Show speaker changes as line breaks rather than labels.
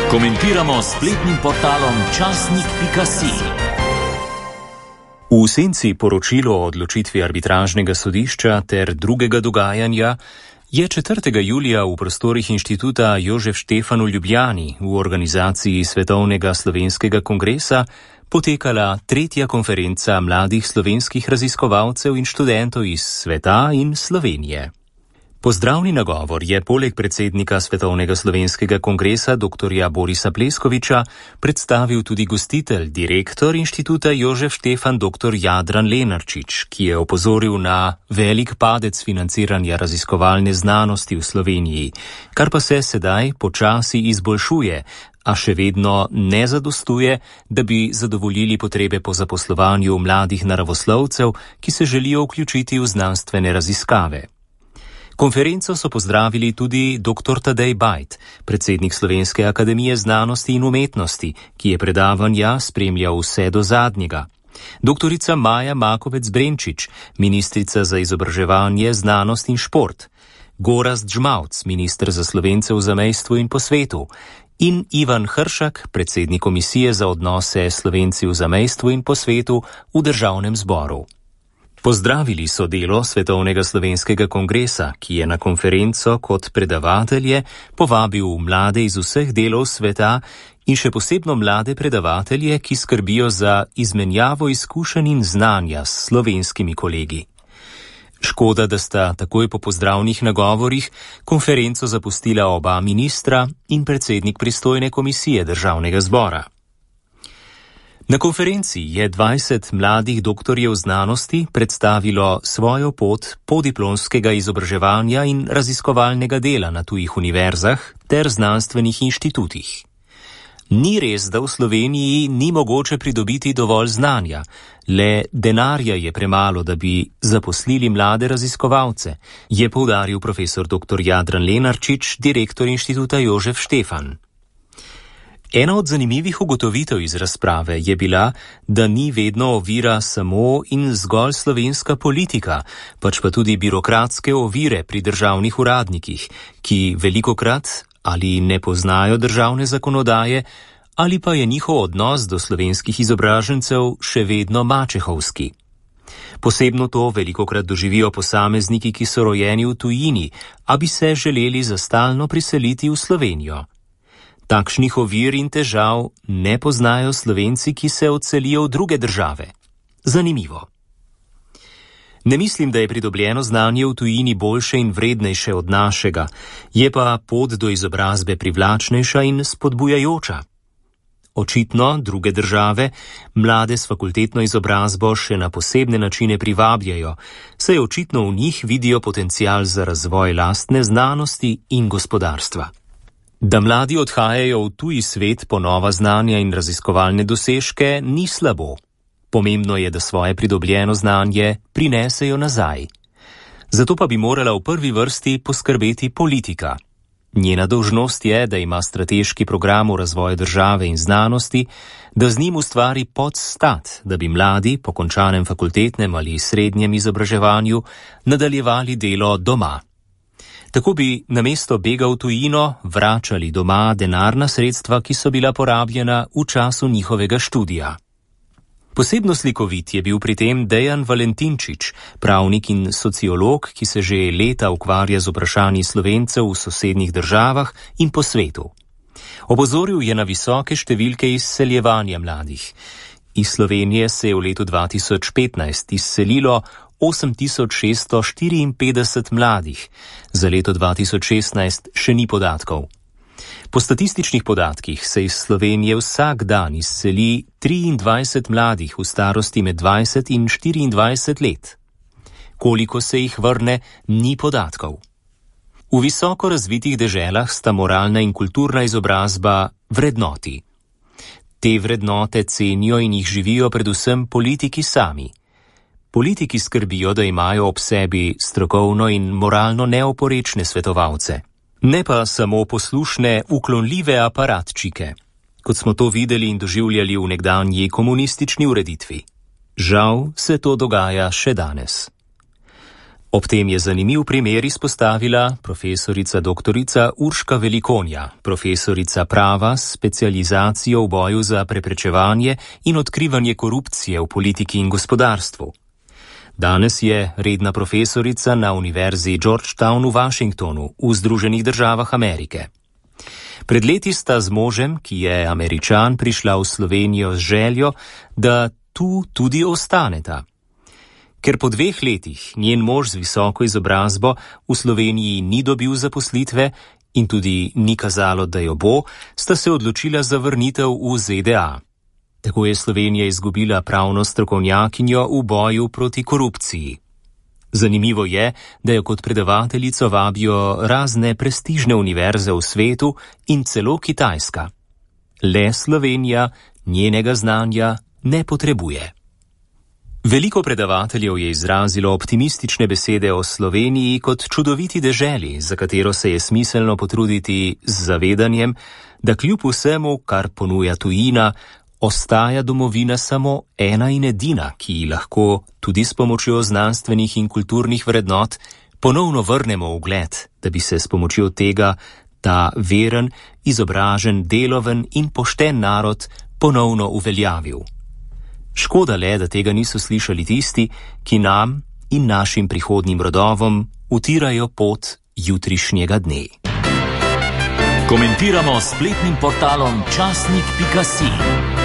Komentiramo s spletnim portalom časnik.si.
V senci poročilo o odločitvi arbitražnega sodišča ter drugega dogajanja je 4. julija v prostorih inštituta Jožef Štefan v Ljubljani v organizaciji Svetovnega slovenskega kongresa potekala 3. konferenca mladih slovenskih raziskovalcev in študentov iz sveta in Slovenije. Pozdravni nagovor je poleg predsednika Svetovnega slovenskega kongresa dr. Borisa Pleskoviča predstavil tudi gostitelj, direktor inštituta Jožef Štefan dr. Jadran Lenarčič, ki je opozoril na velik padec financiranja raziskovalne znanosti v Sloveniji, kar pa se sedaj počasi izboljšuje, a še vedno ne zadostuje, da bi zadovoljili potrebe po zaposlovanju mladih naravoslovcev, ki se želijo vključiti v znanstvene raziskave. Konferenco so pozdravili tudi dr. Tadej Bajd, predsednik Slovenske akademije znanosti in umetnosti, ki je predavanja spremljal vse do zadnjega. Doktorica Maja Makovec Brenčič, ministrica za izobraževanje, znanost in šport. Gorazd Žmavc, minister za Slovence v zamejstvu in po svetu. In Ivan Hršak, predsednik komisije za odnose Slovenci v zamejstvu in po svetu v Državnem zboru. Pozdravili so delo Svetovnega slovenskega kongresa, ki je na konferenco kot predavatelje povabil mlade iz vseh delov sveta in še posebno mlade predavatelje, ki skrbijo za izmenjavo izkušenj in znanja s slovenskimi kolegi. Škoda, da sta takoj po pozdravnih nagovorih konferenco zapustila oba ministra in predsednik pristojne komisije Državnega zbora. Na konferenci je 20 mladih doktorjev znanosti predstavilo svojo pot podiplomskega izobraževanja in raziskovalnega dela na tujih univerzah ter znanstvenih inštitutih. Ni res, da v Sloveniji ni mogoče pridobiti dovolj znanja, le denarja je premalo, da bi zaposlili mlade raziskovalce, je poudaril profesor dr. Jadran Lenarčič, direktor inštituta Jožef Štefan. Ena od zanimivih ugotovitev iz razprave je bila, da ni vedno ovira samo in zgolj slovenska politika, pač pa tudi birokratske ovire pri državnih uradnikih, ki velikokrat ali ne poznajo državne zakonodaje, ali pa je njihov odnos do slovenskih izobražencev še vedno mačehovski. Posebno to velikokrat doživijo posamezniki, ki so rojeni v tujini, a bi se želeli za stalno priseliti v Slovenijo. Takšnih ovir in težav ne poznajo Slovenci, ki se odselijo v druge države. Zanimivo. Ne mislim, da je pridobljeno znanje v tujini boljše in vrednejše od našega, je pa pot do izobrazbe privlačnejša in spodbujajoča. Očitno druge države mlade s fakultetno izobrazbo še na posebne načine privabljajo, saj očitno v njih vidijo potencial za razvoj lastne znanosti in gospodarstva. Da mladi odhajajo v tuji svet po nova znanja in raziskovalne dosežke, ni slabo. Pomembno je, da svoje pridobljeno znanje prinesejo nazaj. Zato pa bi morala v prvi vrsti poskrbeti politika. Njena dolžnost je, da ima strateški program v razvoju države in znanosti, da z njim ustvari podstat, da bi mladi po končanem fakultetnem ali srednjem izobraževanju nadaljevali delo doma. Tako bi namesto bega v tujino vračali doma denarna sredstva, ki so bila porabljena v času njihovega študija. Posebno slikovit je bil pri tem Dejan Valentinčič, pravnik in sociolog, ki se že leta ukvarja z vprašanji Slovencev v sosednjih državah in po svetu. Opozoril je na visoke številke izseljevanja mladih. Iz Slovenije se je v letu 2015 izselilo 8654 mladih, za leto 2016 še ni podatkov. Po statističnih podatkih se iz Slovenije vsak dan izseli 23 mladih v starosti med 20 in 24 let. Koliko se jih vrne, ni podatkov. V visoko razvitih deželah sta moralna in kulturna izobrazba vrednoti. Te vrednote cenijo in jih živijo predvsem politiki sami. Politiki skrbijo, da imajo ob sebi strokovno in moralno neoporečne svetovalce, ne pa samo poslušne, uklonljive aparatčike, kot smo to videli in doživljali v nekdanji komunistični ureditvi. Žal se to dogaja še danes. Ob tem je zanimiv primer izpostavila profesorica doktorica Urška Velikonja, profesorica prava s specializacijo v boju za preprečevanje in odkrivanje korupcije v politiki in gospodarstvu. Danes je redna profesorica na Univerzi Georgetown v Washingtonu v Združenih državah Amerike. Pred leti sta z možem, ki je Američan, prišla v Slovenijo z željo, da tu tudi ostaneta. Ker po 2 letih njen mož z visoko izobrazbo v Sloveniji ni dobil zaposlitve in tudi ni kazalo, da jo bo, sta se odločila za vrnitev v ZDA. Tako je Slovenija izgubila pravno strokovnjakinjo v boju proti korupciji. Zanimivo je, da jo kot predavateljico vabijo razne prestižne univerze v svetu in celo Kitajska. Le Slovenija njenega znanja ne potrebuje. Veliko predavateljev je izrazilo optimistične besede o Sloveniji kot čudoviti deželi, za katero se je smiselno potruditi z zavedanjem, da kljub vsemu, kar ponuja tujina, ostaja domovina samo ena in edina, ki ji lahko tudi s pomočjo znanstvenih in kulturnih vrednot ponovno vrnemo ugled, da bi se s pomočjo tega ta veren, izobražen, deloven in pošten narod ponovno uveljavil. Škoda le, da tega niso slišali tisti, ki nam in našim prihodnjim rodovom utirajo pot jutrišnjega dne.
Komentiramo s spletnim portalom časnik.si.